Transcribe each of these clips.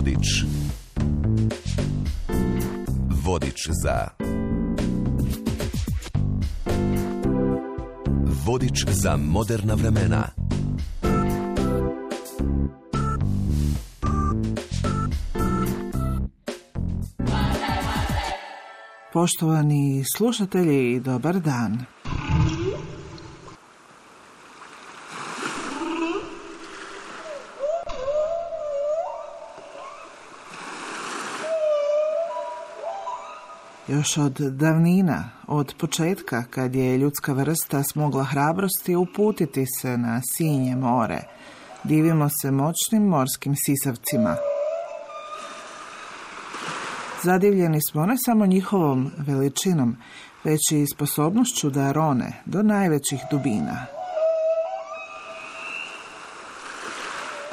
Vodič. Vodič za... Vodič za moderna vremena. Poštovani slušatelji, dobar dan. Još od davnina, od početka kad je ljudska vrsta smogla hrabrosti uputiti se na sinje more, divimo se moćnim morskim sisavcima. Zadivljeni smo ne samo njihovom veličinom, već i sposobnošću da rone do najvećih dubina.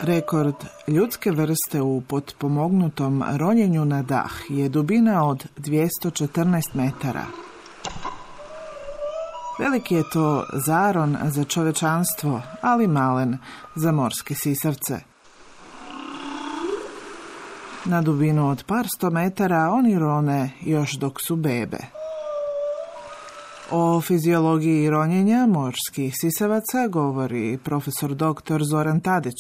Rekord ljudske vrste u potpomognutom ronjenju na dah je dubina od 214 metara. Veliki je to zaron za čovečanstvo, ali malen za morske sisavce. Na dubinu od par sto metara oni rone još dok su bebe. O fiziologiji ronjenja morskih sisavaca govori profesor dr. Zoran Tadić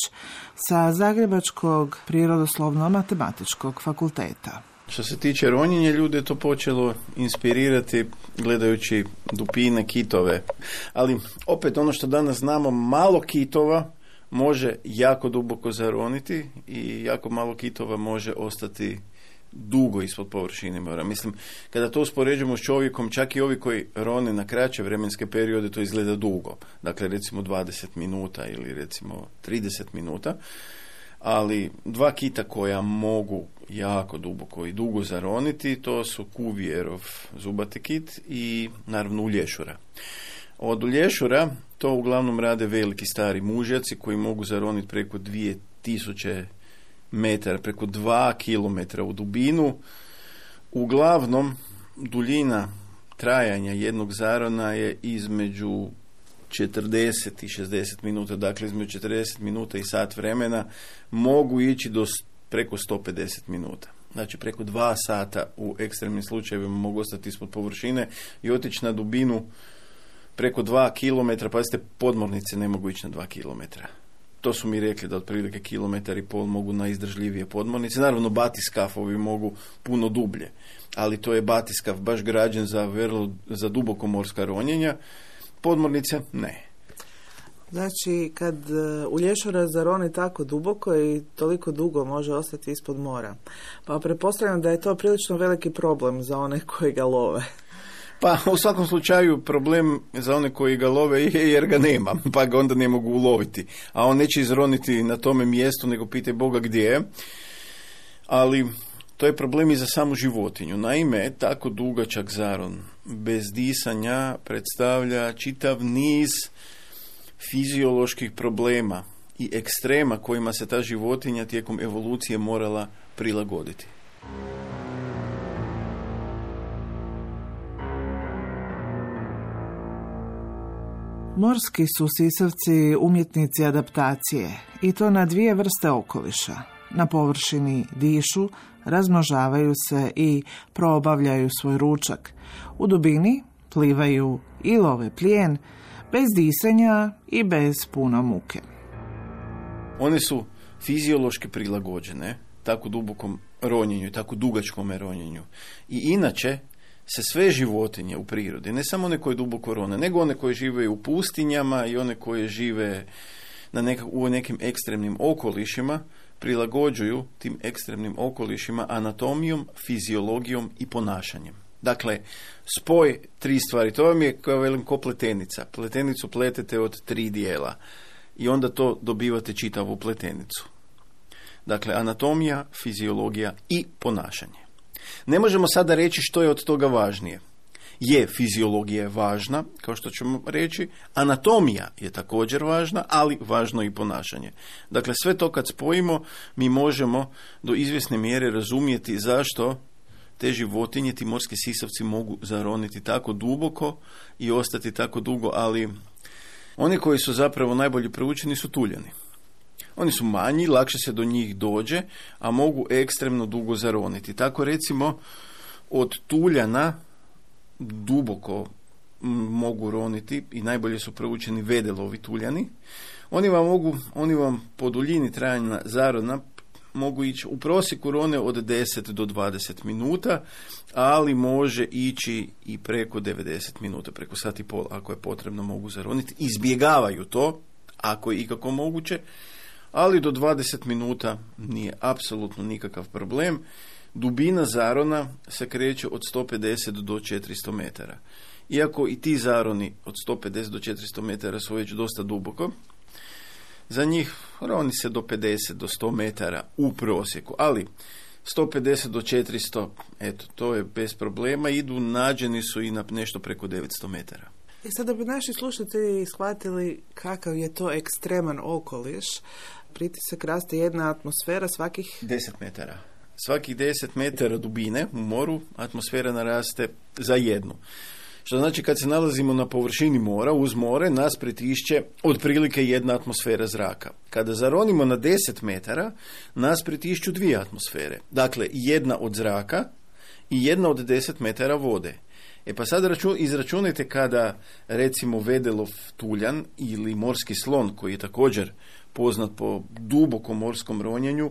sa Zagrebačkog prirodoslovno-matematičkog fakulteta. Što se tiče ronjenja, ljude je to počelo inspirirati gledajući dupine, kitove. Ali opet ono što danas znamo, malo kitova može jako duboko zaroniti i jako malo kitova može ostati dugo ispod površine mora. Mislim, kada to uspoređujemo s čovjekom, čak i ovi koji rone na kraće vremenske periode, to izgleda dugo. Dakle, recimo 20 minuta ili recimo 30 minuta. Ali dva kita koja mogu jako duboko i dugo zaroniti, to su Kuvierov zubati kit i naravno ulješura. Od ulješura to uglavnom rade veliki stari mužjaci koji mogu zaroniti preko 2000 metara, preko 2 kilometra u dubinu. Uglavnom, duljina trajanja jednog zarona je između 40 i 60 minuta, dakle između 40 minuta i sat vremena, mogu ići do preko 150 minuta. Znači preko 2 sata u ekstremnim slučajevima mogu ostati ispod površine i otići na dubinu preko 2 kilometra, pazite, podmornice ne mogu ići na 2 kilometra. To su mi rekli da otprilike 1,5 km mogu na izdržljivije podmornice. Naravno, batiskafovi mogu puno dublje, ali to je batiskaf baš građen za duboko morska ronjenja. Podmornice ne. Znači, kad ulješura zaroni tako duboko i toliko dugo može ostati ispod mora, pa pretpostavljam da je to prilično veliki problem za one koji ga love. Pa u svakom slučaju problem za one koji ga love je jer ga nema, pa ga onda ne mogu uloviti. A on neće izroniti na tome mjestu, nego pitaj Boga gdje je. Ali to je problem i za samu životinju. Naime, tako dugačak zaron bez disanja predstavlja čitav niz fizioloških problema i ekstrema kojima se ta životinja tijekom evolucije morala prilagoditi. Morski su sisavci umjetnici adaptacije i to na 2 vrste okoliša. Na površini dišu, razmnožavaju se i probavljaju svoj ručak. U dubini plivaju i love plijen, bez disanja i bez puno muke. One su fiziološki prilagođene tako dubokom ronjenju i tako dugačkom ronjenju. I inače se sve životinje u prirodi, ne samo one koje duboko rone, nego one koje žive u pustinjama i one koje žive u nekim ekstremnim okolišima, prilagođuju tim ekstremnim okolišima anatomijom, fiziologijom i ponašanjem. Dakle, spoj 3 stvari, to vam je kao velim ko pletenica. Pletenicu pletete od 3 dijela i onda to dobivate čitavu pletenicu. Dakle, anatomija, fiziologija i ponašanje. Ne možemo sada reći što je od toga važnije. Fiziologija je važna, kao što ćemo reći, anatomija je također važna, ali važno i ponašanje. Dakle, sve to kad spojimo, mi možemo do izvjesne mjere razumjeti zašto te životinje, ti morski sisavci mogu zaroniti tako duboko i ostati tako dugo, ali oni koji su zapravo najbolje proučeni su tuljani. Oni su manji, lakše se do njih dođe, a mogu ekstremno dugo zaroniti. Tako recimo od tuljana duboko mogu roniti i najbolje su proučeni vedelovi tuljani. Oni vam po duljini trajanja zarona mogu ići, u prosjeku rone od 10 do 20 minuta, ali može ići i preko 90 minuta, preko sat i pol, ako je potrebno, mogu zaroniti. Izbjegavaju to, ako je ikako moguće, ali do 20 minuta nije apsolutno nikakav problem. Dubina zarona se kreće od 150 do 400 metara. Iako i ti zaroni od 150 do 400 metara su već dosta duboko, za njih roni se do 50 do 100 metara u prosjeku, ali 150 do 400, eto, to je bez problema, nađeni su i na nešto preko 900 metara. I sada bi naši slušatelji shvatili kakav je to ekstreman okoliš. Pritisak raste jedna atmosfera svakih 10 metara. Svakih 10 metara dubine u moru atmosfera naraste za jednu. Što znači kad se nalazimo na površini mora, uz more, nas pritišće otprilike jedna atmosfera zraka. Kada zaronimo na 10 metara, nas pritišću 2 atmosfere. Dakle, jedna od zraka i jedna od 10 metara vode. Pa sad izračunajte kada, recimo, vedelov tuljan ili morski slon, koji je također poznat po dubokom morskom ronjenju,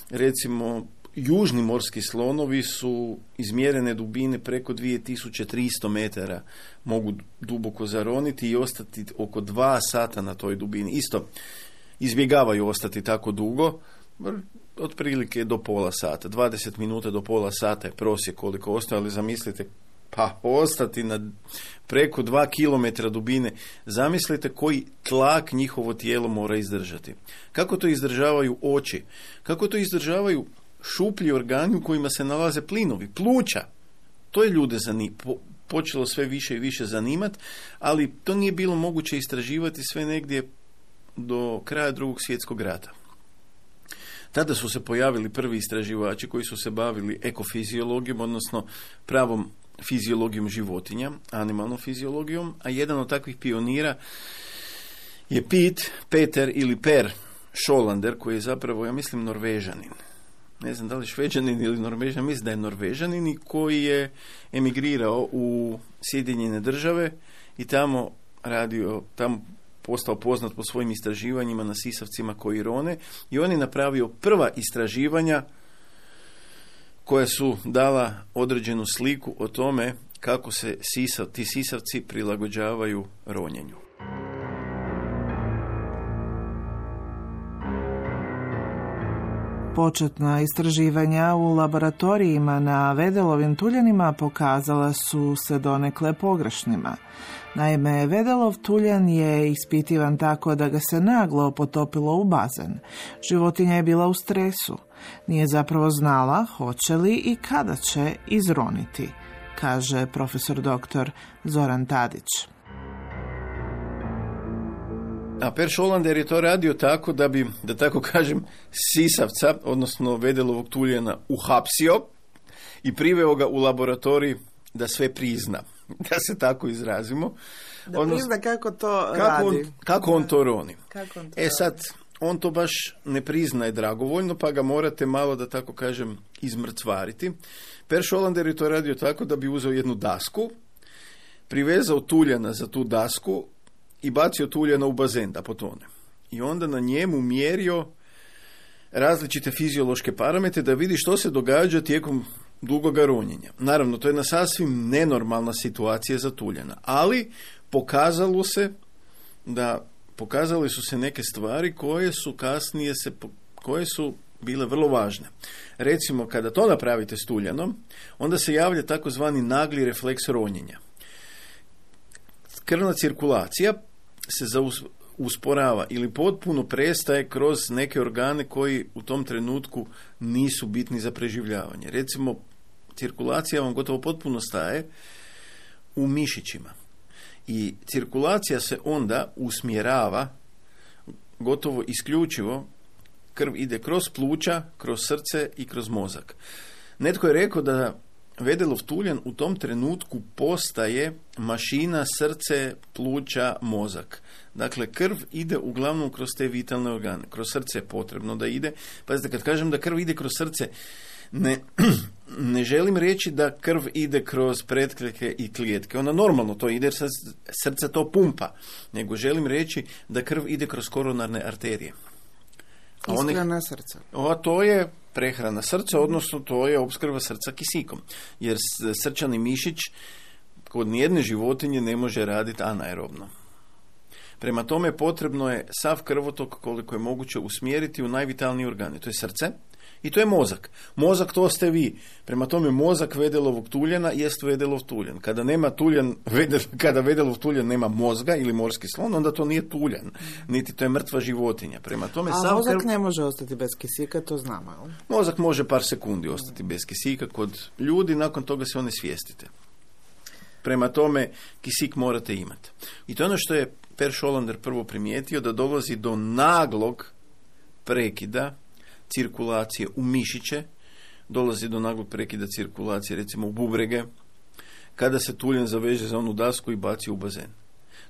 recimo, južni morski slonovi su izmjerene dubine preko 2300 metara, mogu duboko zaroniti i ostati oko 2 sata na toj dubini. Isto izbjegavaju ostati tako dugo, otprilike do pola sata. 20 minuta do pola sata je prosjek koliko ostaje, ali zamislite, pa ostati na preko 2 kilometra dubine, zamislite koji tlak njihovo tijelo mora izdržati. Kako to izdržavaju oči? Kako to izdržavaju šuplji organi u kojima se nalaze plinovi, pluća? To je ljude počelo sve više i više zanimati, ali to nije bilo moguće istraživati sve negdje do kraja Drugog svjetskog rata. Tada su se pojavili prvi istraživači koji su se bavili ekofiziologijom, odnosno pravom fiziologijom životinja, animalnom fiziologijom, a jedan od takvih pionira je Peter ili Per Scholander, koji je zapravo, ja mislim, Norvežanin. Ne znam da li Šveđanin ili Norvežanin, mislim da je Norvežanin, i koji je emigrirao u Sjedinjene Države i tamo postao poznat po svojim istraživanjima na sisavcima koji rone, i on je napravio prva istraživanja koja su dala određenu sliku o tome kako se ti sisavci prilagođavaju ronjenju. Početna istraživanja u laboratorijima na vedelovim tuljanima pokazala su se donekle pogrešnima. Naime, vedelov tuljan je ispitivan tako da ga se naglo potopilo u bazen. Životinja je bila u stresu. Nije zapravo znala hoće li i kada će izroniti, kaže profesor doktor Zoran Tadić. A Per Scholander je to radio tako da bi, da tako kažem, sisavca, odnosno vedelovog tuljana, uhapsio i priveo ga u laboratorij da sve prizna, da se tako izrazimo. Da prizna kako to radi. Kako on to roni. Sad, on to baš ne priznaje dragovoljno, pa ga morate malo, da tako kažem, izmrcvariti. Per Scholander je to radio tako da bi uzeo jednu dasku, privezao tuljana za tu dasku i bacio tuljana u bazen da potone. I onda na njemu mjerio različite fiziološke parametre da vidi što se događa tijekom dugoga ronjenja. Naravno, to je jedna sasvim nenormalna situacija za tuljana, ali pokazale su se neke stvari koje su kasnije koje su bile vrlo važne. Recimo, kada to napravite s tuljanom, onda se javlja takozvani nagli refleks ronjenja. Krvna cirkulacija se usporava ili potpuno prestaje kroz neke organe koji u tom trenutku nisu bitni za preživljavanje. Recimo, cirkulacija vam gotovo potpuno staje u mišićima. I cirkulacija se onda usmjerava gotovo isključivo, krv ide kroz pluća, kroz srce i kroz mozak. Netko je rekao da Vedelov tuljen u tom trenutku postaje mašina, srce, pluća, mozak. Dakle, krv ide uglavnom kroz te vitalne organe. Kroz srce je potrebno da ide. Pazite, kad kažem da krv ide kroz srce, ne želim reći da krv ide kroz pretkljeke i klijetke. Ona normalno to ide jer srce to pumpa. Nego želim reći da krv ide kroz koronarne arterije. Ishrana srca. To je prehrana srca, odnosno to je opskrba srca kisikom. Jer srčani mišić kod nijedne životinje ne može raditi anaerobno. Prema tome potrebno je sav krvotok koliko je moguće usmjeriti u najvitalniji organ. To je srce i to je mozak. Mozak to ste vi. Prema tome mozak Vedelovog tuljana jest Vedelov tuljan. Kada Vedelov tuljan nema mozga ili morski slon, onda to nije tuljan. Niti to je mrtva životinja. Prema tome, a mozak ne može ostati bez kisika, to znamo. Jel? Mozak može par sekundi ostati bez kisika kod ljudi, nakon toga se one svijestite. Prema tome, kisik morate imati. I to je ono što je Per Scholander prvo primijetio, da dolazi do naglog prekida cirkulacije u mišiće, dolazi do naglog prekida cirkulacije recimo u bubrege, kada se tuljen zaveže za onu dasku i baci u bazen.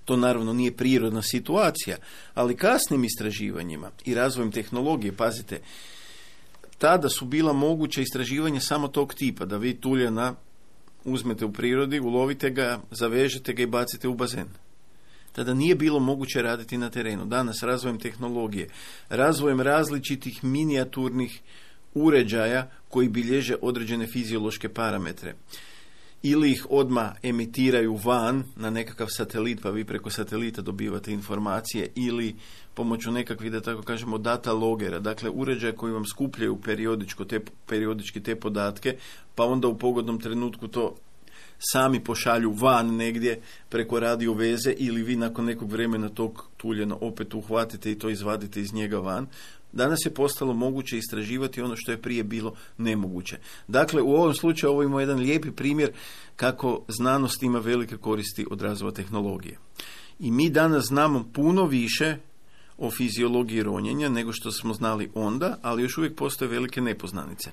To naravno nije prirodna situacija, ali kasnim istraživanjima i razvojem tehnologije, pazite, tada su bila moguća istraživanja samo tog tipa, da vi tuljena uzmete u prirodi, ulovite ga, zavežete ga i bacite u bazen. Tada nije bilo moguće raditi na terenu. Danas razvojem tehnologije, razvojem različitih minijaturnih uređaja koji bilježe određene fiziološke parametre. Ili ih odmah emitiraju van na nekakav satelit, pa vi preko satelita dobivate informacije, ili pomoću nekakvih, da tako kažemo, data logera, dakle uređaja koji vam skupljaju periodički te podatke, pa onda u pogodnom trenutku to sami pošalju van negdje preko radio veze, ili vi nakon nekog vremena tog tuljena opet uhvatite i to izvadite iz njega van. Danas je postalo moguće istraživati ono što je prije bilo nemoguće. Dakle, u ovom slučaju ovo ima jedan lijepi primjer kako znanost ima velike koristi od razvoja tehnologije. I mi danas znamo puno više o fiziologiji ronjenja nego što smo znali onda, ali još uvijek postoje velike nepoznanice.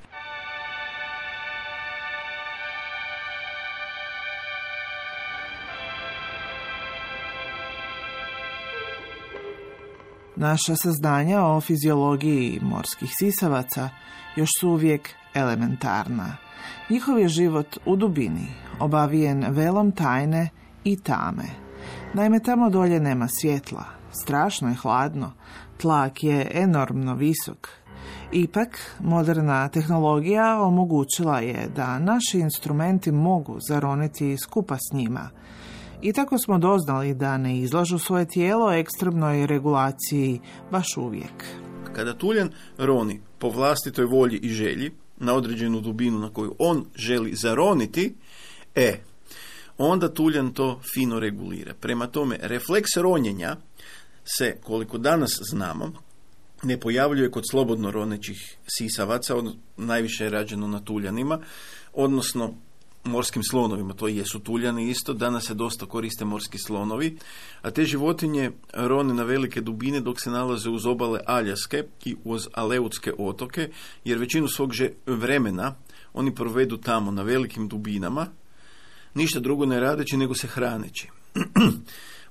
Naša saznanja o fiziologiji morskih sisavaca još su uvijek elementarna. Njihov je život u dubini, obavijen velom tajne i tame. Naime, tamo dolje nema svjetla, strašno je hladno, tlak je enormno visok. Ipak, moderna tehnologija omogućila je da naši instrumenti mogu zaroniti skupa s njima. I tako smo doznali da ne izlažu svoje tijelo ekstremnoj regulaciji baš uvijek. Kada tuljen roni po vlastitoj volji i želji na određenu dubinu na koju on želi zaroniti, onda tuljen to fino regulira. Prema tome, refleks ronjenja se, koliko danas znamo, ne pojavljuje kod slobodno ronećih sisavaca, najviše je rađeno na tuljanima, odnosno morskim slonovima, to jesu tuljani isto, danas se dosta koriste morski slonovi, a te životinje rone na velike dubine dok se nalaze uz obale Aljaske i uz Aleutske otoke, jer većinu svog vremena oni provedu tamo na velikim dubinama, ništa drugo ne radeći nego se hraneći.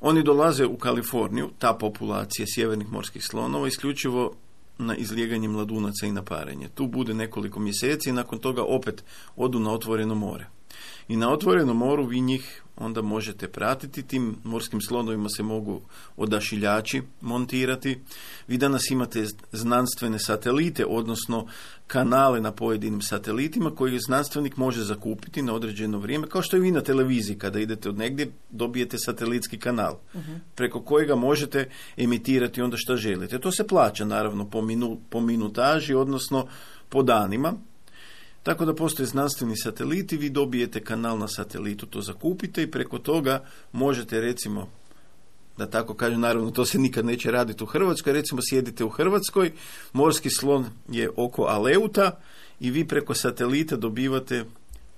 Oni dolaze u Kaliforniju, ta populacija sjevernih morskih slonova, isključivo na izlijeganje mladunaca i na parenje. Tu bude nekoliko mjeseci i nakon toga opet odu na otvoreno more. I na otvorenom moru vi njih onda možete pratiti, tim morskim slonovima se mogu odašiljači montirati. Vi danas imate znanstvene satelite, odnosno kanale na pojedinim satelitima koji znanstvenik može zakupiti na određeno vrijeme, kao što i vi na televiziji kada idete od negdje dobijete satelitski kanal preko kojega možete emitirati onda što želite. To se plaća naravno po minutaži, odnosno po danima. Tako da postoje znanstveni sateliti, vi dobijete kanal na satelitu, to zakupite i preko toga možete, recimo, da tako kažem, naravno to se nikad neće raditi u Hrvatskoj, recimo sjedite u Hrvatskoj, morski slon je oko Aleuta i vi preko satelita dobivate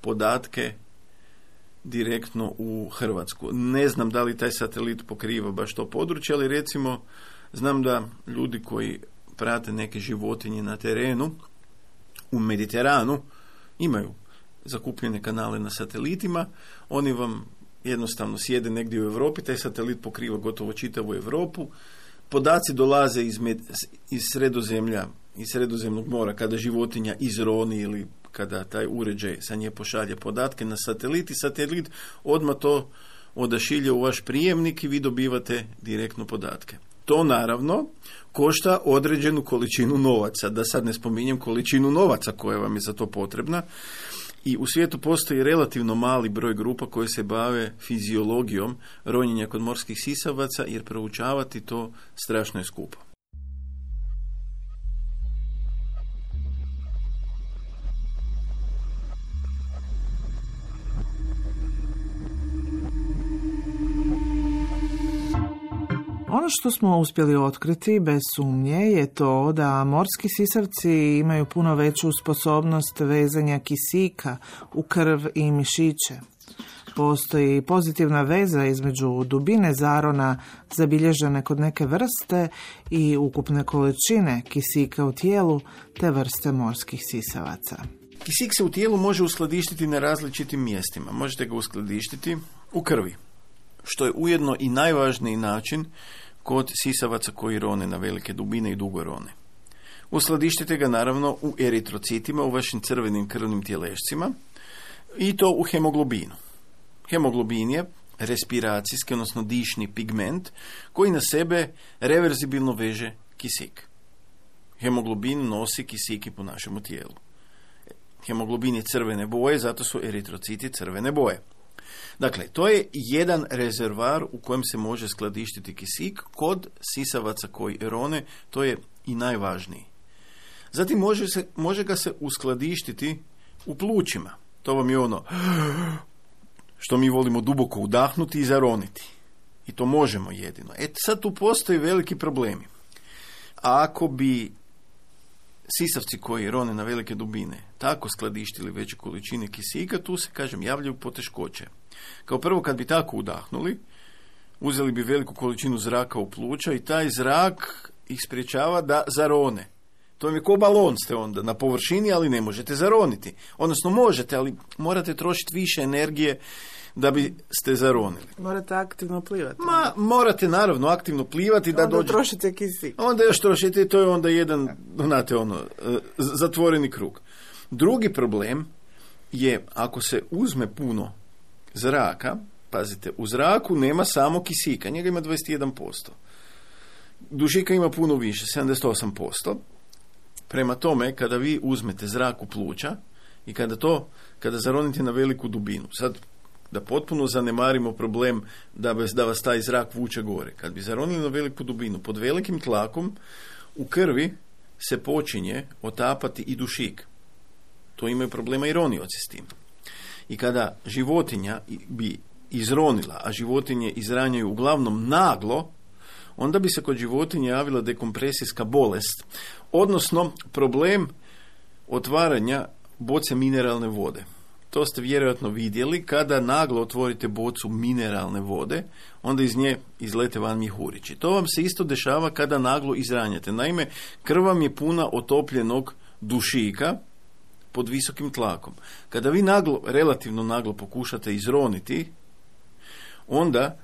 podatke direktno u Hrvatsku. Ne znam da li taj satelit pokriva baš to područje, ali recimo znam da ljudi koji prate neke životinje na terenu, u Mediteranu, imaju zakupljene kanale na satelitima, oni vam jednostavno sjede negdje u Europi, taj satelit pokriva gotovo čitavu Europu, podaci dolaze iz Sredozemlja, iz Sredozemnog mora, kada životinja izroni ili kada taj uređaj sa nje pošalje podatke na satelit i satelit odmah to odašilje u vaš prijemnik i vi dobivate direktno podatke. To naravno košta određenu količinu novaca, da sad ne spominjem količinu novaca koja vam je za to potrebna. I u svijetu postoji relativno mali broj grupa koje se bave fiziologijom ronjenja kod morskih sisavaca, jer proučavati to strašno je skupo. Ono što smo uspjeli otkriti bez sumnje je to da morski sisavci imaju puno veću sposobnost vezanja kisika u krv i mišiće. Postoji pozitivna veza između dubine zarona zabilježene kod neke vrste i ukupne količine kisika u tijelu te vrste morskih sisavaca. Kisik se u tijelu može uskladištiti na različitim mjestima. Možete ga uskladištiti u krvi, što je ujedno i najvažniji način kod sisavaca koji rone na velike dubine i dugo rone. Uskladištite ga naravno u eritrocitima, u vašim crvenim krvnim tjelešcima i to u hemoglobinu. Hemoglobin je respiracijski, odnosno dišni pigment koji na sebe reverzibilno veže kisik. Hemoglobin nosi kisik i po našemu tijelu. Hemoglobin je crvene boje, zato su eritrociti crvene boje. Dakle, to je jedan rezervar u kojem se može skladištiti kisik kod sisavaca koji rone, to je i najvažniji. Zatim može ga se uskladištiti u plućima. To vam je ono što mi volimo duboko udahnuti i zaroniti. I to možemo jedino. Sad tu postoji veliki problemi. A ako bi sisavci koji rone na velike dubine tako skladištili veće količine kisika, tu se, javljaju poteškoće. Kao prvo, kad bi tako udahnuli, uzeli bi veliku količinu zraka u pluća i taj zrak ih sprječava da zarone. To vam je ko balon, ste onda na površini, ali ne možete zaroniti. Odnosno možete, ali morate trošiti više energije da bi ste zaronili. Morate aktivno plivati. Morate naravno aktivno plivati da onda trošite kisik. Onda još trošite, to je onda jedan, zatvoreni krug. Drugi problem je ako se uzme puno zraka, pazite, u zraku nema samo kisika, njega ima 21%. Dušika ima puno više, 78%. Prema tome, kada vi uzmete zrak u pluća i kada zaronite na veliku dubinu, sad da potpuno zanemarimo problem da vas taj zrak vuče gore. Kad bi zaronili na veliku dubinu, pod velikim tlakom, u krvi se počinje otapati i dušik. To imaju problema i ronioci s tim. I kada životinja bi izronila, a životinje izranjaju uglavnom naglo, onda bi se kod životinje javila dekompresijska bolest, odnosno problem otvaranja boce mineralne vode. To ste vjerojatno vidjeli, kada naglo otvorite bocu mineralne vode, onda iz nje izlete van mjehurići. To vam se isto dešava kada naglo izranjate. Naime, krv vam je puna otopljenog dušika pod visokim tlakom. Kada vi relativno naglo pokušate izroniti, onda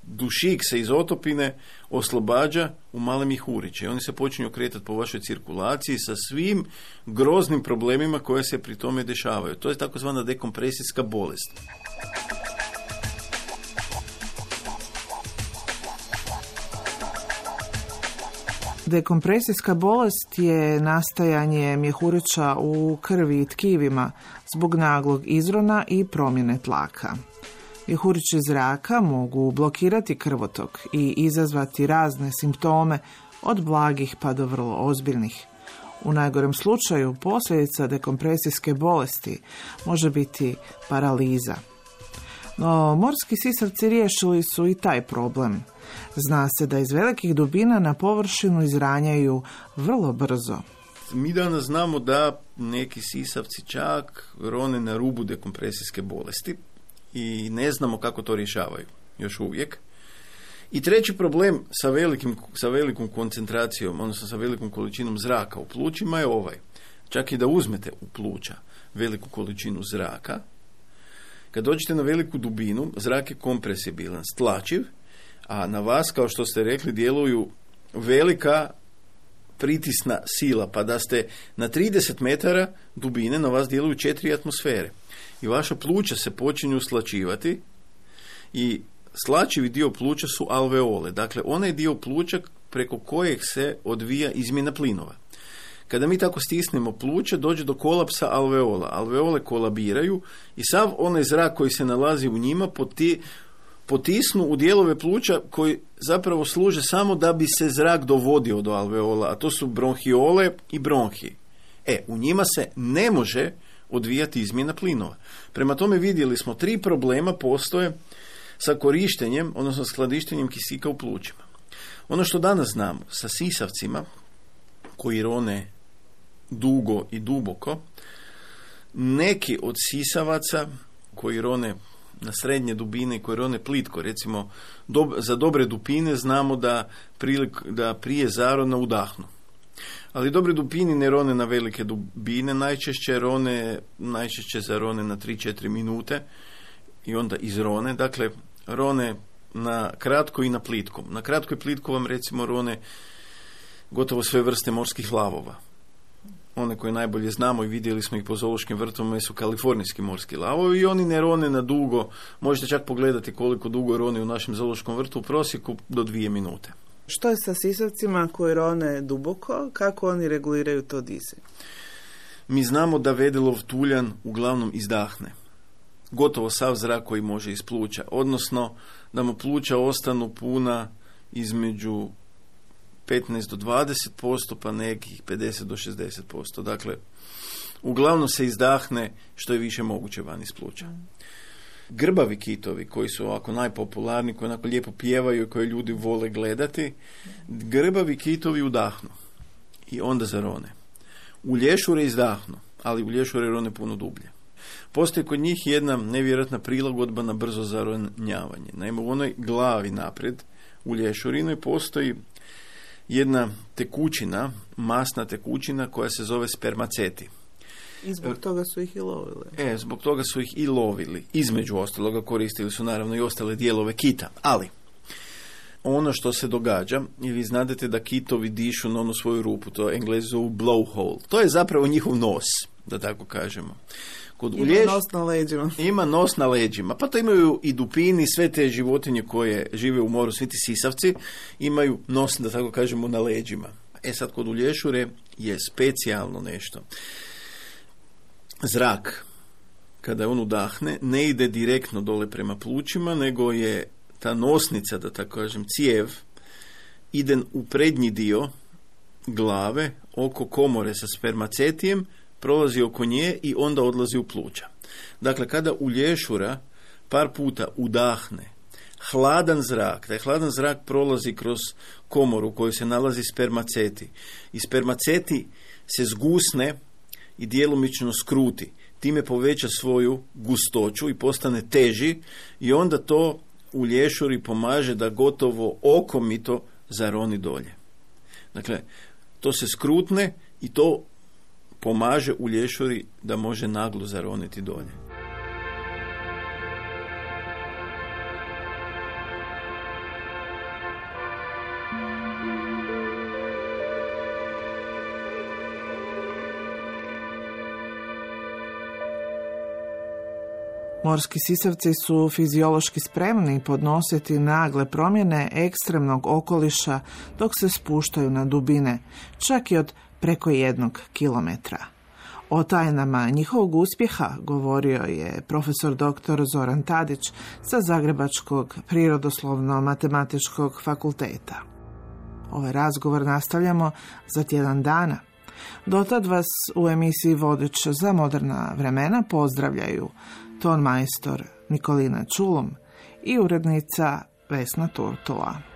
dušik se iz otopine oslobađa u male mjehuriće. Oni se počinju kretati po vašoj cirkulaciji sa svim groznim problemima koje se pri tome dešavaju. To je takozvana dekompresijska bolest. Dekompresijska bolest je nastajanje mjehurića u krvi i tkivima zbog naglog izrona i promjene tlaka. Mjehurići zraka mogu blokirati krvotok i izazvati razne simptome od blagih pa do vrlo ozbiljnih. U najgorem slučaju posljedica dekompresijske bolesti može biti paraliza. No, morski sisavci riješili su i taj problem. Zna se da iz velikih dubina na površinu izranjaju vrlo brzo. Mi danas znamo da neki sisavci čak rone na rubu dekompresijske bolesti i ne znamo kako to rješavaju još uvijek. I treći problem sa velikom koncentracijom, odnosno sa velikom količinom zraka u plućima je ovaj. čak i da uzmete u pluća veliku količinu zraka, kad dođete na veliku dubinu, zrak je kompresibilan, stlačiv, a na vas, kao što ste rekli, djeluju velika pritisna sila, pa da ste na 30 metara dubine, na vas djeluju 4 atmosfere. I vaša pluća se počinju slačivati i slačivi dio pluća su alveole. Dakle, onaj dio pluća preko kojeg se odvija izmjena plinova. Kada mi tako stisnemo pluća, dođe do kolapsa alveola. Alveole kolabiraju i sav onaj zrak koji se nalazi u njima potisnu u dijelove pluća koji zapravo služe samo da bi se zrak dovodio do alveola, a to su bronhiole i bronhi. U njima se ne može odvijati izmjena plinova. Prema tome vidjeli smo 3 problema postoje sa korištenjem, odnosno skladištenjem kisika u plućima. Ono što danas znamo sa sisavcima koji rone dugo i duboko, neki od sisavaca koji rone na srednje dubine i koji rone plitko, recimo za dobre dupine znamo da prije zarona udahnu. Ali dobre dupini ne rone na velike dubine, najčešće zarone na 3-4 minute i onda izrone. Dakle, rone na kratko i na plitkom. Na kratko i plitko vam recimo rone gotovo sve vrste morskih lavova. One koje najbolje znamo i vidjeli smo ih po zoološkim vrtovima su kalifornijski morski lavovi i oni ne rone na dugo. Možete čak pogledati koliko dugo rone u našem zoološkom vrtu, u prosjeku do 2 minute. Što je sa sisavcima koji rone duboko? Kako oni reguliraju to dizanje? Mi znamo da vedelov tuljan uglavnom izdahne gotovo sav zrak koji može iz pluća, odnosno da mu pluća ostanu puna između 15 do 20%, pa nekih 50 do 60%. Dakle, uglavnom se izdahne što je više moguće van iz pluća. Grbavi kitovi, koji su ovako najpopularniji, koji onako lijepo pjevaju i koje ljudi vole gledati, grbavi kitovi udahnu i onda zarone. U lješure izdahnu, ali u lješure rone puno dublje. Postoji kod njih jedna nevjerojatna prilagodba na brzo zaronjavanje. Naime, u onoj glavi naprijed, u lješurinoj, postoji jedna tekućina, masna tekućina koja se zove spermaceti. I zbog toga su ih i lovili. Zbog toga su ih i lovili. Između ostaloga koristili su naravno i ostale dijelove kita. Ali, ono što se događa, i vi znate da kitovi dišu na onu svoju rupu, to Englezi zovu blowhole. To je zapravo njihov nos, da tako kažemo. Nos na leđima. Ima nos na leđima. Pa to imaju i dupini, sve te životinje koje žive u moru, svi ti sisavci, imaju nos, da tako kažemo, na leđima. Sad kod ulješure je specijalno nešto. Zrak, kada on udahne, ne ide direktno dole prema plućima, nego je ta nosnica, da tako kažem, cijev, ide u prednji dio glave, oko komore sa spermacetijem, prolazi oko nje i onda odlazi u pluća. Dakle, kada ulješura par puta udahne hladan zrak, taj hladan zrak prolazi kroz komoru u kojoj se nalazi spermaceti i spermaceti se zgusne i djelomično skruti. Time poveća svoju gustoću i postane teži i onda to u lješuri pomaže da gotovo okomito zaroni dolje. Dakle, to se skrutne i to pomaže u lješuri da može naglo zaroniti dolje. Morski sisavci su fiziološki spremni podnositi nagle promjene ekstremnog okoliša dok se spuštaju na dubine, čak i od preko 1 kilometra. O tajnama njihovog uspjeha govorio je profesor dr. Zoran Tadić sa Zagrebačkog prirodoslovno-matematičkog fakulteta. Ovaj razgovor nastavljamo za tjedan dana. Dotad vas u emisiji Vodič za moderna vremena pozdravljaju ton majstor Nikolina Čulum i urednica Vesna Turtula.